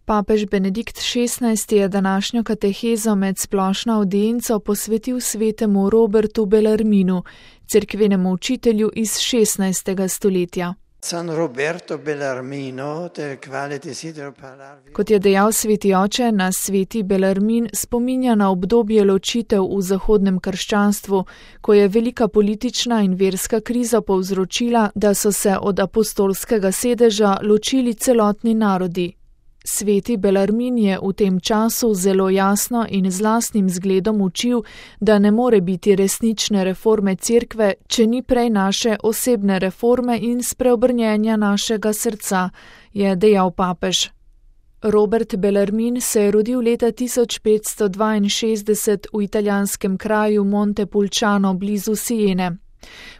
Papež Benedikt XVI je današnjo katehezo med splošno avdienco posvetil svetemu Robertu Bellarminu, cerkvenemu učitelju iz 16. stoletja. Kot je dejal sveti oče, nas sveti Bellarmin spominja na obdobje ločitev v zahodnem krščanstvu, ko je velika politična in verska kriza povzročila, da so se od apostolskega sedeža ločili celotni narodi. Sveti Bellarmin je v tem času zelo jasno in z lastnim zgledom učil, da ne more biti resnične reforme cerkve, če ni prej naše osebne reforme in spreobrnjenja našega srca, je dejal papež. Robert Bellarmin se je rodil leta 1562 v italijanskem kraju Montepulciano blizu Siene.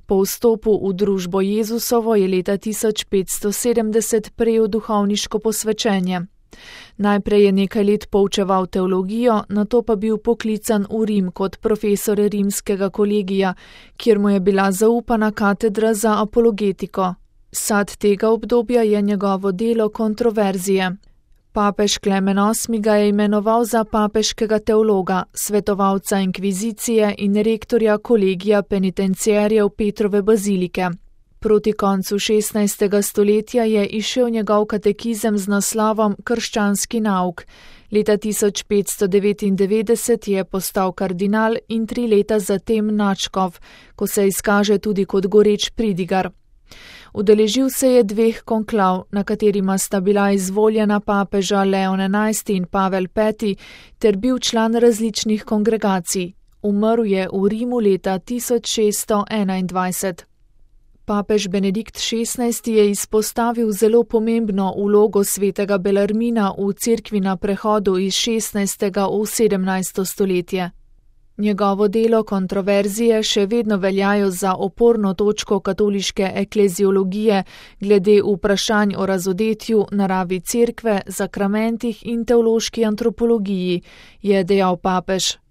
Po vstopu v družbo Jezusovo je leta 1570 prejel duhovniško posvečenje. Najprej je nekaj let poučeval teologijo, nato pa bil poklican v Rim kot profesor rimskega kolegija, kjer mu je bila zaupana katedra za apologetiko. Sad tega obdobja je njegovo delo kontroverzije. Papež Klemen VIII ga je imenoval za papeškega teologa, svetovalca inkvizicije in rektorja kolegija penitenciarjev Petrove bazilike. Proti koncu 16. stoletja je izšel njegov katekizem z naslovom Krščanski nauk. Leta 1599 je postal kardinal in 3 leta zatem nadškof, ko se izkaže tudi kot goreč pridigar. Udeležil se je 2 konklav, na katerima sta bila izvoljena papeža Leon XI in Pavel V, ter bil član različnih kongregacij. Umrl je v Rimu leta 1621. Papež Benedikt XVI je izpostavil zelo pomembno vlogo svetega Bellarmina v cerkvi na prehodu iz 16. v 17. stoletje. Njegovo delo kontroverzije še vedno veljajo za oporno točko katoliške ekleziologije glede vprašanj o razodetju, naravi cerkve, sakramentih in teološki antropologiji, je dejal papež.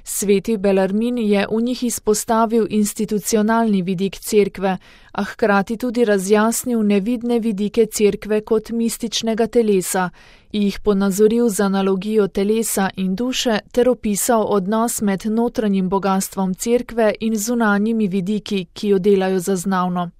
Sveti Bellarmin je v njih izpostavil institucionalni vidik cerkve, a hkrati tudi razjasnil nevidne vidike cerkve kot mističnega telesa, jih ponazoril z analogijo telesa in duše ter opisal odnos med notranjim bogastvom cerkve in zunanjimi vidiki, ki jo delajo zaznavno.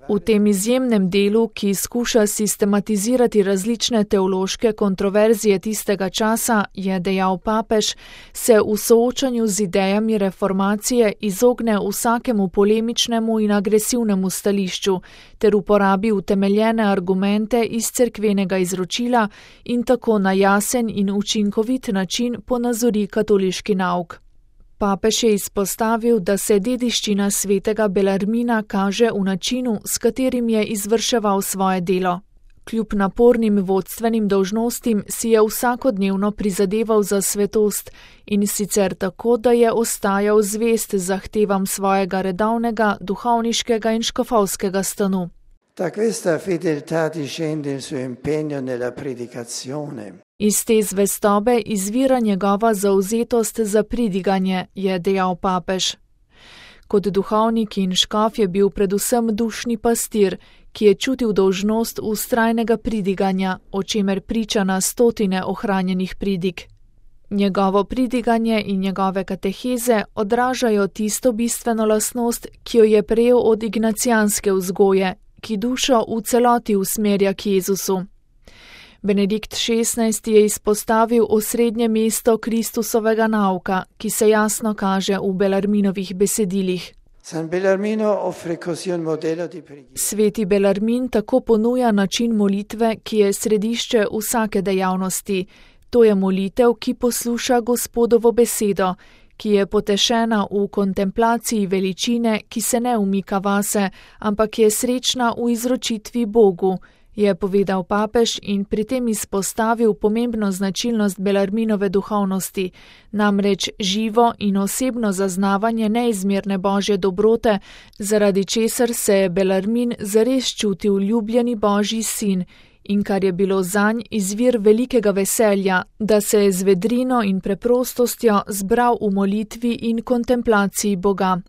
V tem izjemnem delu, ki skuša sistematizirati različne teološke kontroverzije tistega časa, je dejal papež, se v soočanju z idejami reformacije izogne vsakemu polemičnemu in agresivnemu stališču ter uporabi utemeljene argumente iz cerkvenega izročila in tako na jasen in učinkovit način ponazori katoliški nauk. Papež je izpostavil, da se dediščina svetega Bellarmina kaže v načinu, s katerim je izvrševal svoje delo. Kljub napornim vodstvenim dolžnostim si je vsakodnevno prizadeval za svetost in sicer tako, da je ostajal zvest zahtevam svojega redovnega, duhovniškega in škofovskega stanu. Iz te zvestobe izvira njegova zavzetost za pridiganje, je dejal papež. Kot duhovnik in škof je bil predvsem dušni pastir, ki je čutil dolžnost vztrajnega pridiganja, o čemer priča na stotine ohranjenih pridig. Njegovo pridiganje in njegove kateheze odražajo tisto bistveno lastnost, ki jo je prejel od ignacijanske vzgoje, ki dušo v celoti usmerja k Jezusu. Benedikt XVI je izpostavil osrednje mesto Kristusovega nauka, ki se jasno kaže v Bellarminovih besedilih. Sveti Bellarmin tako ponuja način molitve, ki je središče vsake dejavnosti. To je molitev, ki posluša Gospodovo besedo, ki je potešena v kontemplaciji veličine, ki se ne umika vase, ampak je srečna v izročitvi Bogu, je povedal papež in pri tem izpostavil pomembno značilnost Bellarminove duhovnosti, namreč živo in osebno zaznavanje neizmerne božje dobrote, zaradi česar se je Bellarmin zares čutil ljubljeni božji sin in kar je bilo zanj izvir velikega veselja, da se je z vedrino in preprostostjo zbral v molitvi in kontemplaciji Boga.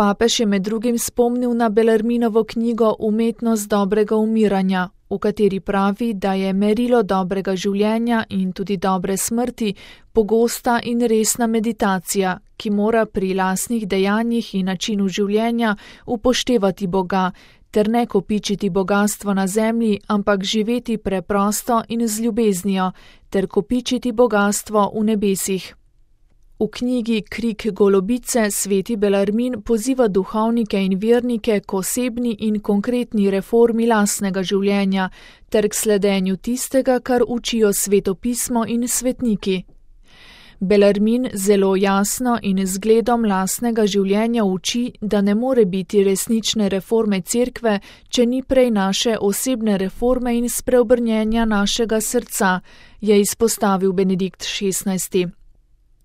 Papež je med drugim spomnil na Bellarminovo knjigo Umetnost dobrega umiranja, v kateri pravi, da je merilo dobrega življenja in tudi dobre smrti pogosta in resna meditacija, ki mora pri lastnih dejanjih in načinu življenja upoštevati Boga, ter ne kopičiti bogastvo na zemlji, ampak živeti preprosto in z ljubeznijo, ter kopičiti bogastvo v nebesih. V knjigi Krik golobice sveti Bellarmin poziva duhovnike in vernike k osebni in konkretni reformi lastnega življenja ter k sledenju tistega, kar učijo svetopismo in svetniki. Bellarmin zelo jasno in z zgledom lastnega življenja uči, da ne more biti resnične reforme cerkve, če ni prej naše osebne reforme in spreobrnjenja našega srca, je izpostavil Benedikt XVI.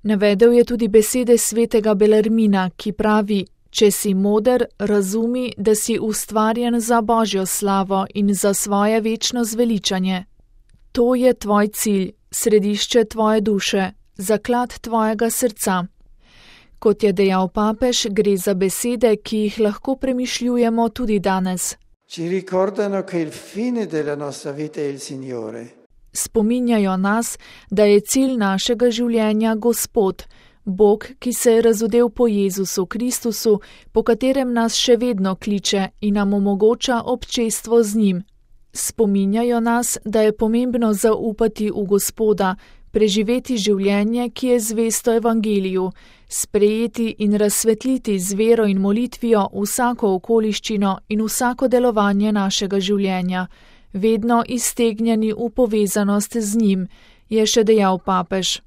Navedel je tudi besede svetega Bellarmina, ki pravi: če si moder, razumi, da si ustvarjen za Božjo slavo in za svoje večno zveličanje. To je tvoj cilj, središče tvoje duše, zaklad tvojega srca. Kot je dejal papež, gre za besede, ki jih lahko premišljujemo tudi danes. Ci ricordano che il fine della nostra vita è il Signore. Spominjajo nas, da je cilj našega življenja Gospod, Bog, ki se je razodel po Jezusu Kristusu, po katerem nas še vedno kliče in nam omogoča občestvo z njim. Spominjajo nas, da je pomembno zaupati v Gospoda, preživeti življenje, ki je zvesto evangeliju, sprejeti in razsvetliti z vero in molitvijo vsako okoliščino in vsako delovanje našega življenja, vedno iztegnjeni v povezanost z njim, je še dejal papež.